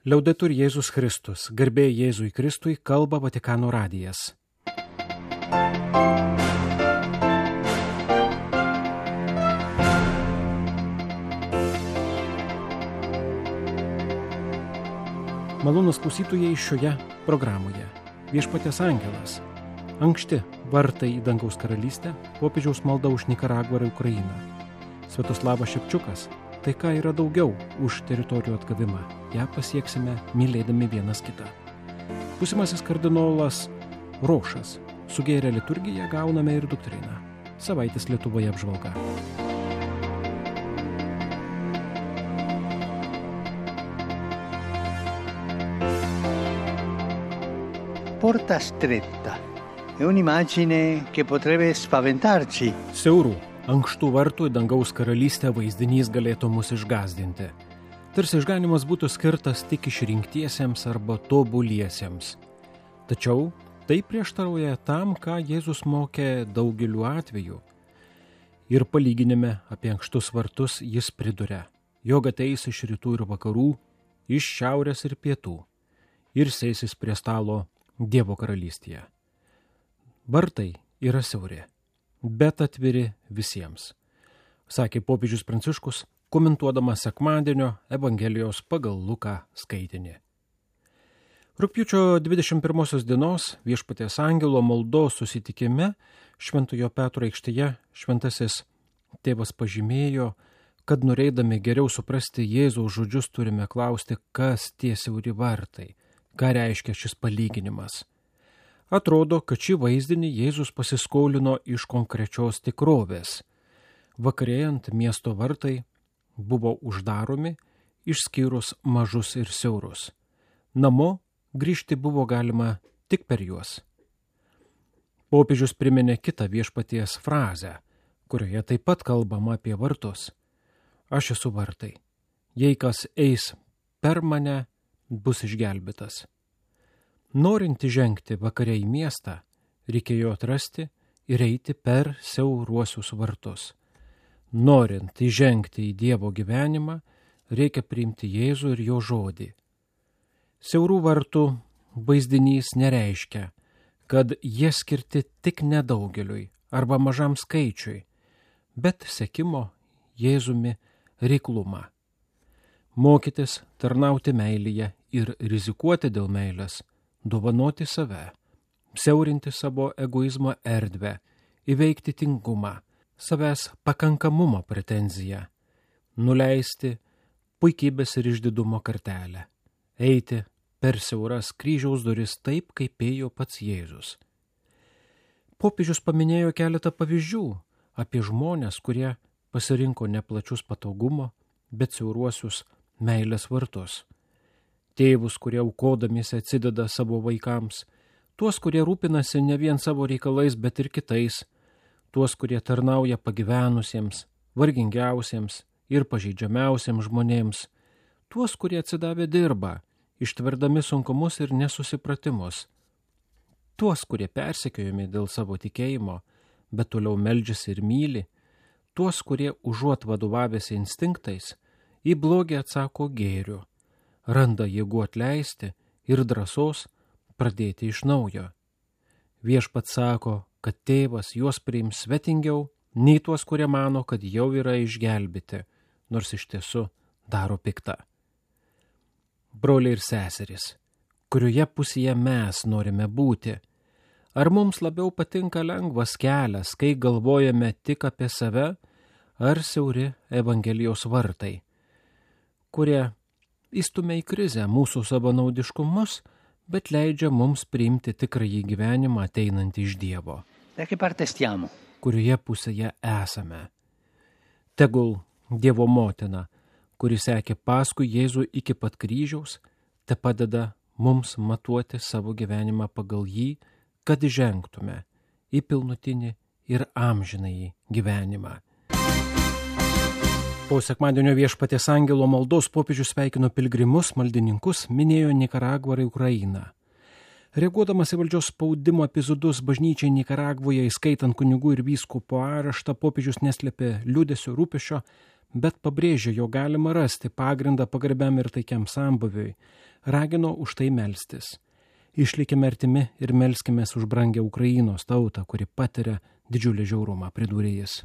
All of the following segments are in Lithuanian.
Liaudetur Jėzus Kristus, garbė Jėzui Kristui, kalba Vatikano radijas. Malonūs klausytojai šioje programoje. Viešpaties angelas. Ankšti vartai į dangaus karalystę, popiežiaus malda už Nikaragvą ir Ukrainą. Sviatoslavas Šepčiukas. Tai ką yra daugiau už teritorijų atgavimą, ją pasieksime mylėdami vienas kitą. Būsimasis kardinolas Rošas. Sugėrę liturgiją gauname ir doktriną. Savaitės Lietuvoje apžvalga. Porta stretta è un'immagine che potrebbe spaventarci. Siaurų, ankštų vartų į dangaus karalystę vaizdinys galėtų mus išgąsdinti. Tarsi išganimas būtų skirtas tik išrinktiesiems arba tobuliesiems. Tačiau tai prieštarauja tam, ką Jėzus mokė daugeliu atveju. Ir palyginime apie ankštus vartus jis priduria, jog ateis iš rytų ir vakarų, iš šiaurės ir pietų, ir sėsis prie stalo Dievo karalystėje. Vartai yra siauri, bet atviri visiems, sakė popiežius Pranciškus, komentuodamas sekmadienio Evangelijos pagal Luką skaitinį. Rugpjūčio 21 dienos Viešpaties angelo maldos susitikime Šventojo Petro aikštėje šventasis tėvas pažymėjo, kad norėdami geriau suprasti Jėzaus žodžius turime klausti, kas tie siauri vartai, ką reiškia šis palyginimas. Atrodo, kad šį vaizdinį Jėzus pasiskolino iš konkrečios tikrovės. Vakarėjant miesto vartai buvo uždaromi, išskyrus mažus ir siaurus. Namo grįžti buvo galima tik per juos. Popiežius priminė kitą Viešpaties frazę, kurioje taip pat kalbama apie vartus. Aš esu vartai. Jei kas eis per mane, bus išgelbėtas. Norint žengti vakare į miestą, reikėjo atrasti ir eiti per siauruosius vartus. Norint įžengti į Dievo gyvenimą, reikia priimti Jėzų ir jo žodį. Siaurų vartų vaizdinys nereiškia, kad jie skirti tik nedaugeliui arba mažam skaičiui, bet sekimo Jėzumi reiklumą. Mokytis tarnauti meilėje ir rizikuoti dėl meilės, dovanoti save, siaurinti savo egoizmo erdvę, įveikti tingumą, savęs pakankamumo pretenziją, nuleisti puikybės ir išdidumo kartelę, eiti per siauras kryžiaus duris taip, kaip ėjo pats Jėzus. Popiežius paminėjo keletą pavyzdžių apie žmones, kurie pasirinko neplačius patogumo, bet siauruosius meilės vartus. Tėvus, kurie aukodamiesi atsideda savo vaikams, tuos, kurie rūpinasi ne vien savo reikalais, bet ir kitais, tuos, kurie tarnauja pagyvenusiems, vargingiausiems ir pažeidžiamiausiems žmonėms, tuos, kurie atsidavę dirba, ištverdami sunkumus ir nesusipratimus, tuos, kurie persekiojami dėl savo tikėjimo, bet toliau meldžiasi ir myli, tuos, kurie užuot vadovavęsi instinktais, į blogį atsako gėriu, randa jėgų atleisti ir drąsos pradėti iš naujo. Viešpats sako, kad tėvas juos priims svetingiau, nei tuos, kurie mano, kad jau yra išgelbėti, nors iš tiesų daro piktą. Broliai ir seserys, kurioje pusėje mes norime būti? Ar mums labiau patinka lengvas kelias, kai galvojame tik apie save, ar siauri Evangelijos vartai, kurie įstumia į krizę mūsų savanaudiškumus, bet leidžia mums priimti tikrąjį gyvenimą ateinantį iš Dievo. Da che parte stiamo? Kurioje pusėje esame? Tegul Dievo motina, kuri sekė paskui Jėzų iki pat kryžiaus, te padeda mums matuoti savo gyvenimą pagal jį, kad žengtume į pilnutinį ir amžinąjį gyvenimą. Po sekmadienio Viešpaties angelo maldos popiežius sveikino pilgrimus, maldininkus, minėjo Nikaragvą ir Ukrainą. Reaguodamas į valdžios spaudimo epizodus bažnyčiai Nikaragvoje, įskaitant kunigų ir vyskupo areštą, popiežius neslėpė liūdesio rūpesčio, bet pabrėžė, jo galima rasti pagrindą pagarbiam ir taikiam sambuviui, ragino už tai melstis. Išlikime artimi ir melskimės už brangę Ukrainos tautą, kuri patiria didžiulį žiaurumą, pridūrė jis.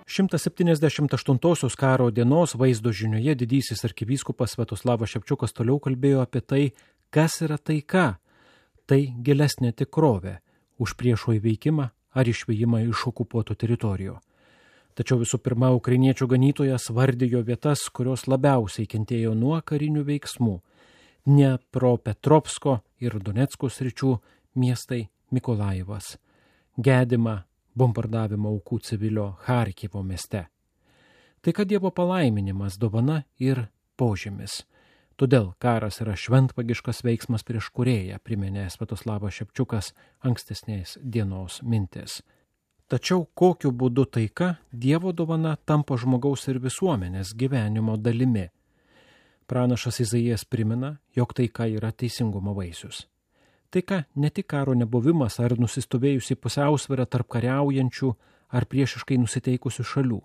178 karo dienos vaizdo žinioje didysis arkivyskupas Sviatoslavas Ševčiukas toliau kalbėjo apie tai, kas yra taika. Tai gilesnė tikrovė už priešo įveikimą ar išvijimą iš okupuotų teritorijų. Tačiau visų pirma, ukrainiečių ganytojas vardijo vietas, kurios labiausiai kentėjo nuo karinių veiksmų. Dniepropetrovsko ir Donecko sričių miestai Mikolajevas, Gedima, bombardavimo aukų civilio Charkivo mieste. Tai kad Dievo palaiminimas, dovana ir požymis. Todėl karas yra šventvagiškas veiksmas prieš kūrėją, priminė Sviatoslavas Ševčiukas ankstesnės dienos mintis. Tačiau kokiu būdu taika, Dievo dovana, tampa žmogaus ir visuomenės gyvenimo dalimi. Pranašas Izaijas primena, jog taika yra teisingumo vaisius. Taika ne tik karo nebuvimas ar nusistovėjusi pusiausvyrą tarp kariaujančių ar priešiškai nusiteikusių šalių.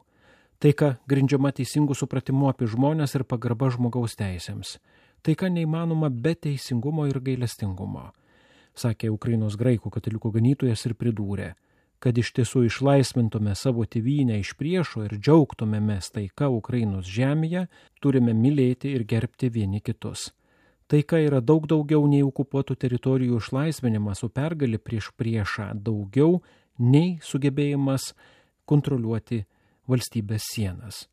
Taika grindžiama teisingų supratimu apie žmonės ir pagarba žmogaus teisėms. Taika neįmanoma be teisingumo ir gailestingumo, sakė Ukrainos graikų katalikų ganytojas ir pridūrė, kad iš tiesų išlaisvintume savo tėvynę iš priešo ir džiaugtumėmės taika Ukrainos žemėje, turime mylėti ir gerbti vieni kitus. Taika yra daug daugiau nei okupuotų teritorijų išlaisvinimas, o pergalė prieš priešą daugiau nei sugebėjimas kontroliuoti valstybės sienas.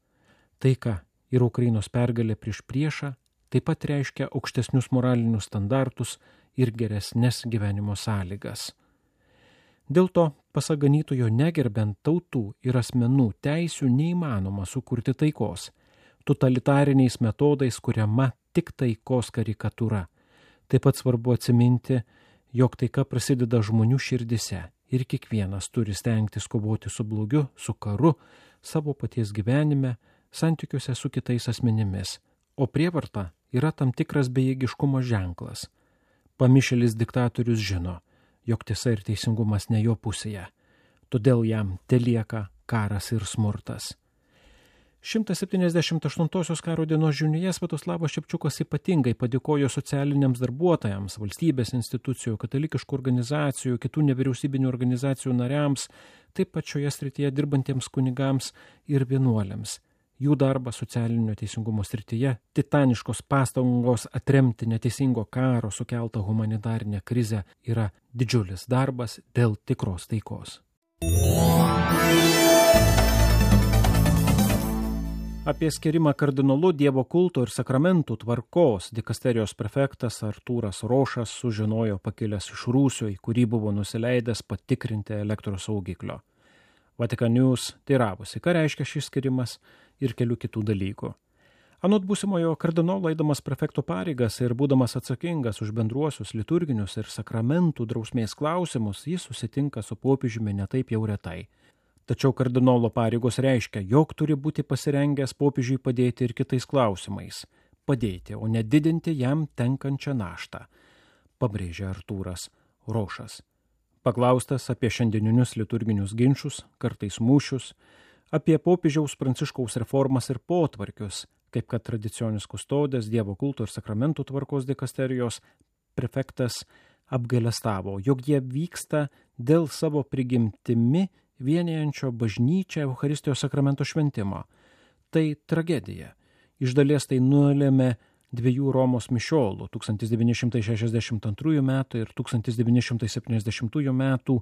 Taika ir Ukrainos pergalė prieš priešą taip pat reiškia aukštesnius moralinius standartus ir geresnes gyvenimo sąlygas. Dėl to, pasak ganytojo, negerbent tautų ir asmenų teisių neįmanoma sukurti taikos. Totalitariniais metodais kuriama tik taikos karikatūra. Taip pat svarbu atsiminti, jog taika prasideda žmonių širdise ir kiekvienas turi stengtis kovoti su blogiu, su karu, savo paties gyvenime, santykiuose su kitais asmenimis, o prievarta yra tam tikras bejėgiškumo ženklas. Pamišėlis diktatorius žino, jog tiesa ir teisingumas ne jo pusėje, todėl jam telieka karas ir smurtas. 178 karo dienos žinioje Sviatoslavas Ševčiukas ypatingai padėkojo socialiniams darbuotojams, valstybės institucijų, katalikiškų organizacijų, kitų nevyriausybinių organizacijų nariams, taip pat šioje srityje dirbantiems kunigams ir vienuoliams. Jų darbas socialinio teisingumo srityje, titaniškos pastangos atremti neteisingo karo sukeltą humanitarinę krizę yra didžiulis darbas dėl tikros taikos. Apie skirimą kardinolu Dievo kulto ir sakramentų tvarkos dikasterijos prefektas Artūras Rošas sužinojo pakilęs iš Rūsio, į kurį buvo nusileidęs patikrinti elektros saugiklio. Vatikan News teiravosi, ką reiškia šis skirimas ir kelių kitų dalykų. Anot būsimojo kardinolo, eidamas prefekto pareigas ir būdamas atsakingas už bendruosius liturginius ir sakramentų drausmės klausimus, jis susitinka su popiežiumi netaip jau retai. Tačiau kardinolo pareigos reiškia, jog turi būti pasirengęs popiežiui padėti ir kitais klausimais. Padėti, o ne didinti jam tenkančią naštą, pabrėžė Artūras Rošas. Paklaustas apie šiandieninius liturginius ginčus, kartais mūšius, apie popiežiaus Pranciškaus reformas ir potvarkius, kaip kad tradicijonis kustodės Dievo kulto ir sakramentų tvarkos dikasterijos prefektas apgailestavo, jog jie vyksta dėl savo prigimtimi vienijančio bažnyčią Eucharistijos sakramento šventimo. Tai tragedija. Iš dalies tai nulėmė dviejų Romos mišiolų 1962 metų ir 1970 metų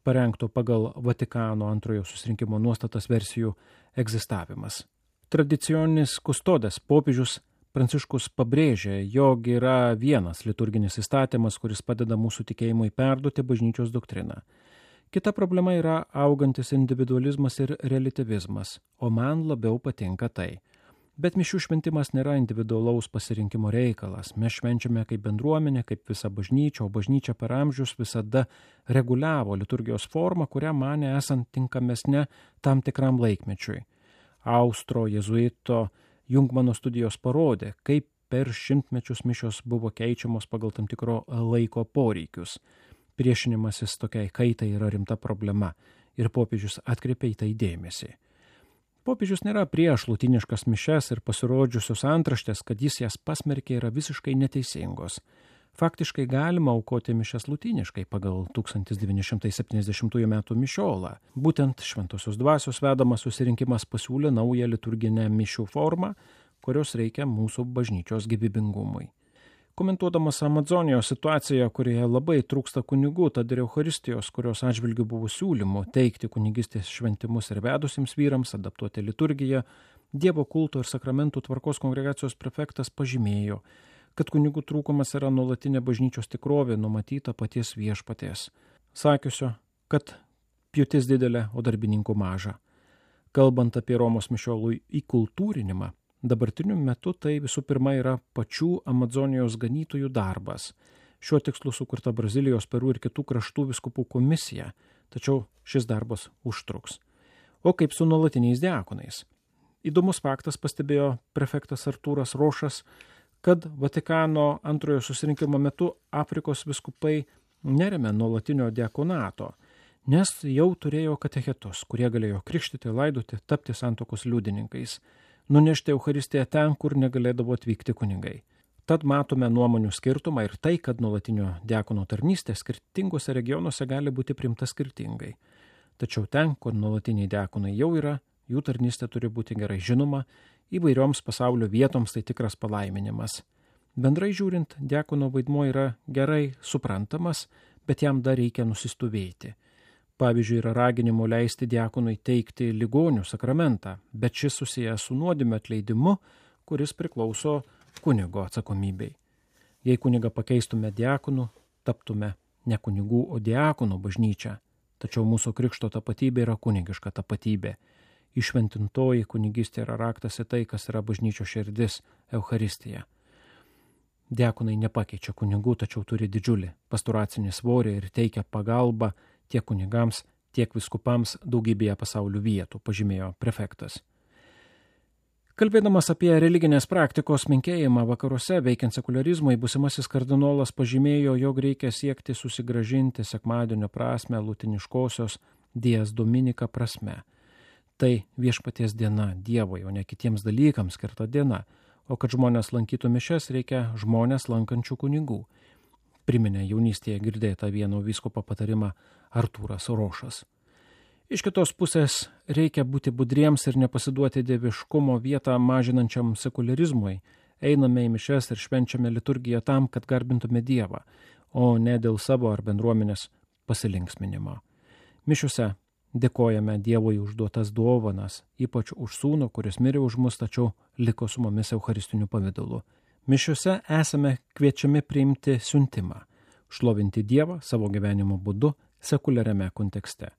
parengto pagal Vatikano antrojo susirinkimo nuostatas versijų egzistavimas. Tradicijonis kustodės popiežius Pranciškus pabrėžė, jog yra vienas liturginis įstatymas, kuris padeda mūsų tikėjimui perduoti bažnyčios doktriną. Kita problema yra augantis individualizmas ir reliatyvizmas, o man labiau patinka tai. Bet mišių šventimas nėra individualaus pasirinkimo reikalas. Mes švenčiame kaip bendruomenė, kaip visa bažnyčia, o bažnyčia per amžius visada reguliavo liturgijos formą, kurią manė esant tinkamesnė tam tikram laikmečiui. Austro jezuito Jungmano studijos parodė, kaip per šimtmečius mišios buvo keičiamos pagal tam tikro laiko poreikius. Priešinimasis tokiai kaitai yra rimta problema ir popiežius atkreipė į tai dėmesį. Popiežius nėra prieš lotyniškas mišias ir pasirodžiusios antraštės, kad jis jas pasmerkė, yra visiškai neteisingos. Faktiškai galima aukoti mišias lotyniškai pagal 1970 m. mišiolą. Būtent Šventosios Dvasios vedamas susirinkimas pasiūlė naują liturginę mišių formą, kurios reikia mūsų bažnyčios gyvybingumui. Komentuodamas Amazonijos situaciją, kurioje labai trūksta kunigų, tad ir Eucharistijos, kurios atžvilgių buvo siūlymų teikti kunigystės šventimus ir vedusiems vyrams, adaptuoti liturgiją, Dievo kulto ir sakramentų tvarkos kongregacijos prefektas pažymėjo, kad kunigų trūkumas yra nuolatinė bažnyčios tikrovė numatyta paties viešpaties, sakiusio, kad pjūtis didelė, o darbininkų maža. Kalbant apie Romos mišiolų įkultūrinimą, dabartiniu metu tai visų pirma yra pačių Amazonijos ganytojų darbas. Šiuo tikslu sukurta Brazilijos, Peru ir kitų kraštų vyskupų komisija, tačiau šis darbas užtruks. O kaip su nuolatiniais diakonais? Įdomus faktas, pastebėjo prefektas Artūras Rošas, kad Vatikano antrojo susirinkimo metu Afrikos vyskupai neremia nuolatinio diakonato, nes jau turėjo katechetus, kurie galėjo krikštyti, laidoti, tapti santuokos liudininkais, nunešti Eucharistiją ten, kur negalėdavo atvykti kunigai. Tad matome nuomonių skirtumą ir tai, kad nuolatinio diakono tarnystė skirtingose regionuose gali būti priimta skirtingai. Tačiau ten, kur nuolatiniai diakonai jau yra, jų tarnystė turi būti gerai žinoma, įvairioms pasaulio vietoms tai tikras palaiminimas. Bendrai žiūrint, diakono vaidmuo yra gerai suprantamas, bet jam dar reikia nusistovėti. Pavyzdžiui, yra raginimo leisti diakonui teikti ligonių sakramentą, bet šis susijęs su nuodėmio atleidimu, kuris priklauso kunigo atsakomybei. Jei kunigą pakeistume diakonu, taptume ne kunigų, o diakonų bažnyčia. Tačiau mūsų krikšto tapatybė yra kunigiška tapatybė. Išventintoji kunigystė yra raktas į tai, kas yra bažnyčios širdis – Eucharistija. Diakonai nepakeičia kunigų, tačiau turi didžiulį pastoracinį svorį ir teikia pagalbą tiek kunigams, tiek viskupams daugybėje pasaulio vietų, pažymėjo prefektas. Kalbėdamas apie religinės praktikos menkėjimą vakaruose veikiant sekularizmui, būsimasis kardinolas pažymėjo, jog reikia siekti susigrąžinti sekmadienio prasme lutiniškosios Dies Dominika prasme. Tai viešpaties diena Dievui, o ne kitiems dalykams skirta diena, o kad žmonės lankytų mišias, reikia žmonės lankančių kunigų. Priminė jaunystėje girdėtą vieno vyskupo patarimą Artūras Rošas. Iš kitos pusės reikia būti budriems ir nepasiduoti dieviškumo vietą mažinančiam sekularizmui. Einame į mišias ir švenčiame liturgiją tam, kad garbintume Dievą, o ne dėl savo ar bendruomenės pasilinksminimo. Mišiuose dėkojame Dievui už duotas dovanas, ypač už sūnų, kuris mirė už mus, tačiau liko su mumis eucharistiniu pavidalu. Mišiuose esame kviečiami priimti siuntimą, šlovinti Dievą savo gyvenimo būdu sekuliariame kontekste.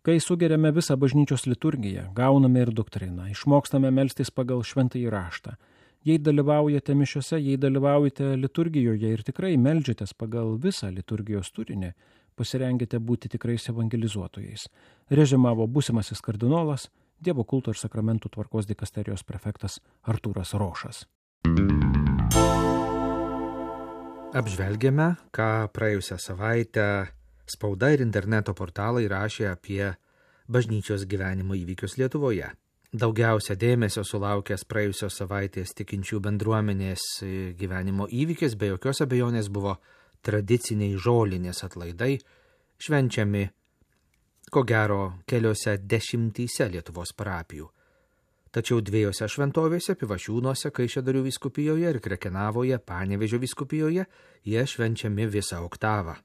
Kai sugeriame visą bažnyčios liturgiją, gauname ir doktriną, išmokstame melstis pagal šventąjį raštą. Jei dalyvaujate mišiuose, jei dalyvaujate liturgijoje ir tikrai meldžiatės pagal visą liturgijos turinį, pasirengite būti tikrais evangelizuotojais. Režimavo būsimasis kardinolas, Dievo kulto ir sakramentų tvarkos dikasterijos prefektas Artūras Rošas. Apžvelgėme, ką praėjusią savaitę spauda ir interneto portalai rašė apie bažnyčios gyvenimo įvykius Lietuvoje. Daugiausia dėmesio sulaukęs praėjusios savaitės tikinčių bendruomenės gyvenimo įvykis be jokios abejonės buvo tradiciniai žolinės atlaidai, švenčiami, ko gero, keliose dešimtyse Lietuvos parapijų. Tačiau dviejose šventovėse, Pivašiūnuose, Kaišiadorių vyskupijoje ir Krekenavoje, Panevėžio vyskupijoje, jie švenčiami visą oktavą.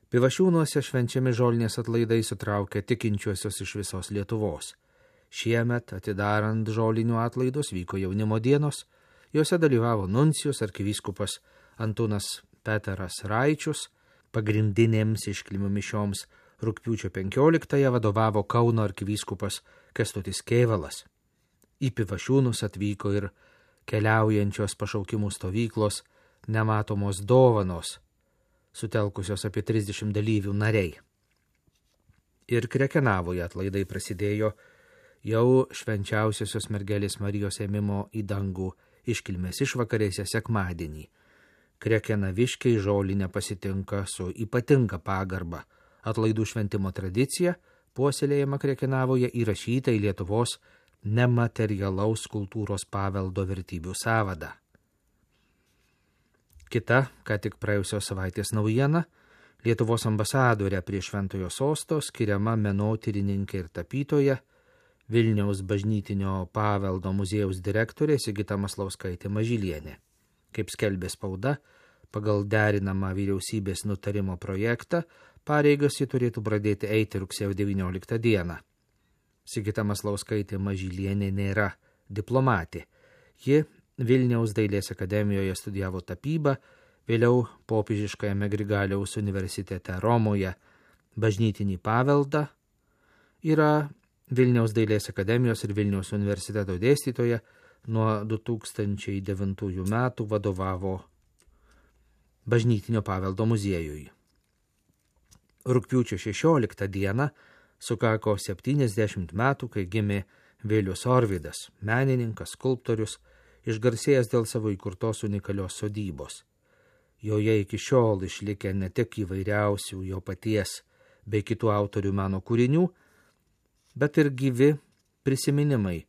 Pivašiūnuose švenčiami žolinės atlaidai sutraukia tikinčiuosius iš visos Lietuvos. Šiemet, atidarant žolinių atlaidus, vyko jaunimo dienos, juose dalyvavo nuncijus arkivyskupas Antūnas Peteras Raičius, pagrindinėms iškilmių mišioms rugpjūčio 15-ąją vadovavo Kauno arkivyskupas Kęstutis Kėvalas. Į Pivašiūnus atvyko ir keliaujančios pašaukimų stovyklos nematomos dovanos, sutelkusios apie 30 dalyvių nariai. Ir Krekenavoje atlaidai prasidėjo jau švenčiausiosios mergelės Marijos ėmimo į dangų iškilmės išvakarėse sekmadienį. Krekenaviškiai žolinę pasitinka su ypatinga pagarba, Atlaidų šventimo tradicija, puoselėjama Krekenavoje, įrašyta į Lietuvos nematerialaus kultūros paveldo vertybių sąvadą. Kita, ką tik praėjusios savaitės naujiena, Lietuvos ambasadorė prie Šventojo sosto skiriama menotyrininkė ir tapytoja, Vilniaus bažnytinio paveldo muziejaus direktorė Sigita Maslauskaitė Mažylienė. Kaip skelbė spauda, pagal derinamą vyriausybės nutarimo projektą, pareigas ji turėtų pradėti eiti rugsėjo 19 dieną. Sigita Maslauskaitė Mažylienė nėra diplomatė. Ji Vilniaus dailės akademijoje studijavo tapybą, vėliau Popiežiškajame Grigaliaus universitete Romoje bažnytinį paveldą, yra Vilniaus dailės akademijos ir Vilniaus universiteto dėstytoja, nuo 2009 metų vadovavo bažnytinio paveldo muziejui. Rugpjūčio 16 dieną sukako 70 metų, kai gimė Vilius Orvidas, menininkas, skulptorius, išgarsėjęs dėl savo įkurtos unikalios sodybos. Joje iki šiol išlikę ne tik įvairiausių jo paties bei kitų autorių meno kūrinių, bet ir gyvi prisiminimai,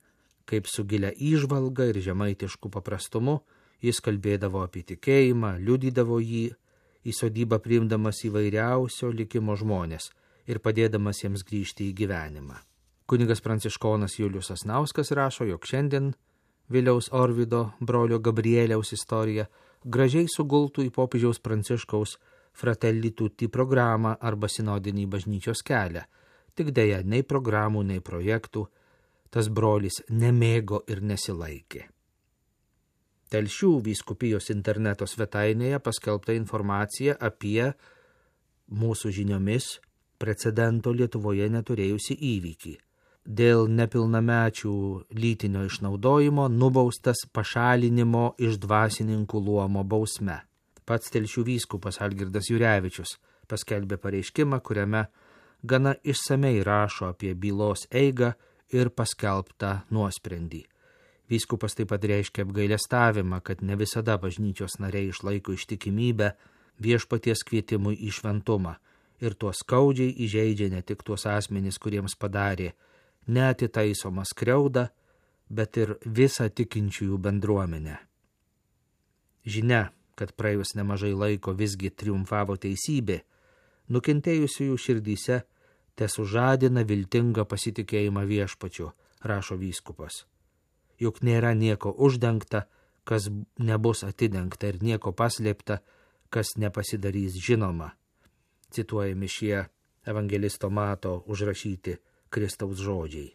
kaip su gilia įžvalga ir žemaitišku paprastumu jis kalbėdavo apie tikėjimą, liudydavo jį, į sodybą priimdamas įvairiausio likimo žmonės ir padėdamas jiems grįžti į gyvenimą. Kunigas pranciškonas Julius Sasnauskas rašo, jog šiandien Viliaus Orvido brolio Gabrieliaus istorija gražiai sugultų į popiežiaus Pranciškaus Fratelli Tutti programą arba sinodinį bažnyčios kelią, tik deja nei programų, nei projektų tas brolis nemėgo ir nesilaikė. Telšių vyskupijos interneto svetainėje paskelbta informacija apie mūsų žiniomis precedento Lietuvoje neturėjusi įvykį. Dėl nepilnamečių lytinio išnaudojimo nubaustas pašalinimo iš dvasininkų luomo bausme. Pats Telšių vyskupas Algirdas Jurevičius paskelbė pareiškimą, kuriame gana išsamei rašo apie bylos eigą ir paskelbtą nuosprendį. Vyskupas taip pat reiškia apgailestavimą, kad ne visada bažnyčios nariai išlaiko ištikimybę viešpaties kvietimui į šventumą ir tuo skaudžiai įžeidžia ne tik tuos asmenys, kuriems padarė neatitaisomą skriaudą, bet ir visą tikinčiųjų bendruomenę. Žinia, kad praėjus nemažai laiko visgi triumfavo teisybė, nukentėjusiųjų širdyse tesužadina viltingą pasitikėjimą viešpačiu, rašo vyskupas. Juk nėra nieko uždengta, kas nebus atidengta, ir nieko paslėpta, kas nepasidarys žinoma. Cituojami šie evangelisto Mato užrašyti Kristaus žodžiai.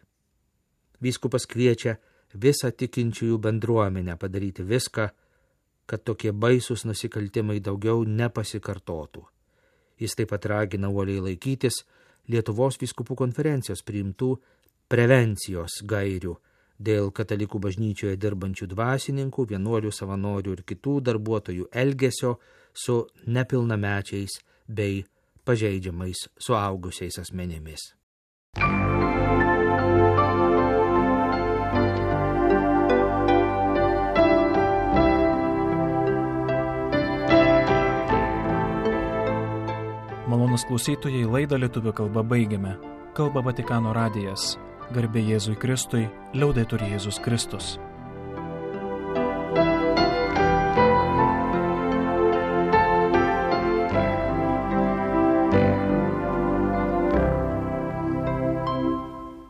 Vyskupas kviečia visą tikinčiųjų bendruomenę padaryti viską, kad tokie baisus nusikaltimai daugiau nepasikartotų. Jis taip pat ragina uoliai laikytis Lietuvos vyskupų konferencijos priimtų prevencijos gairių dėl katalikų bažnyčioje dirbančių dvasininkų, vienuolių, savanorių ir kitų darbuotojų elgesio su nepilnamečiais bei pažeidžiamais suaugusiais asmenimis. Malonūs klausytojai, laidą lietuvių kalba baigiame. Kalba Vatikano radijas. Garbė Jėzui Kristui, liaudetur Jėzus Kristus.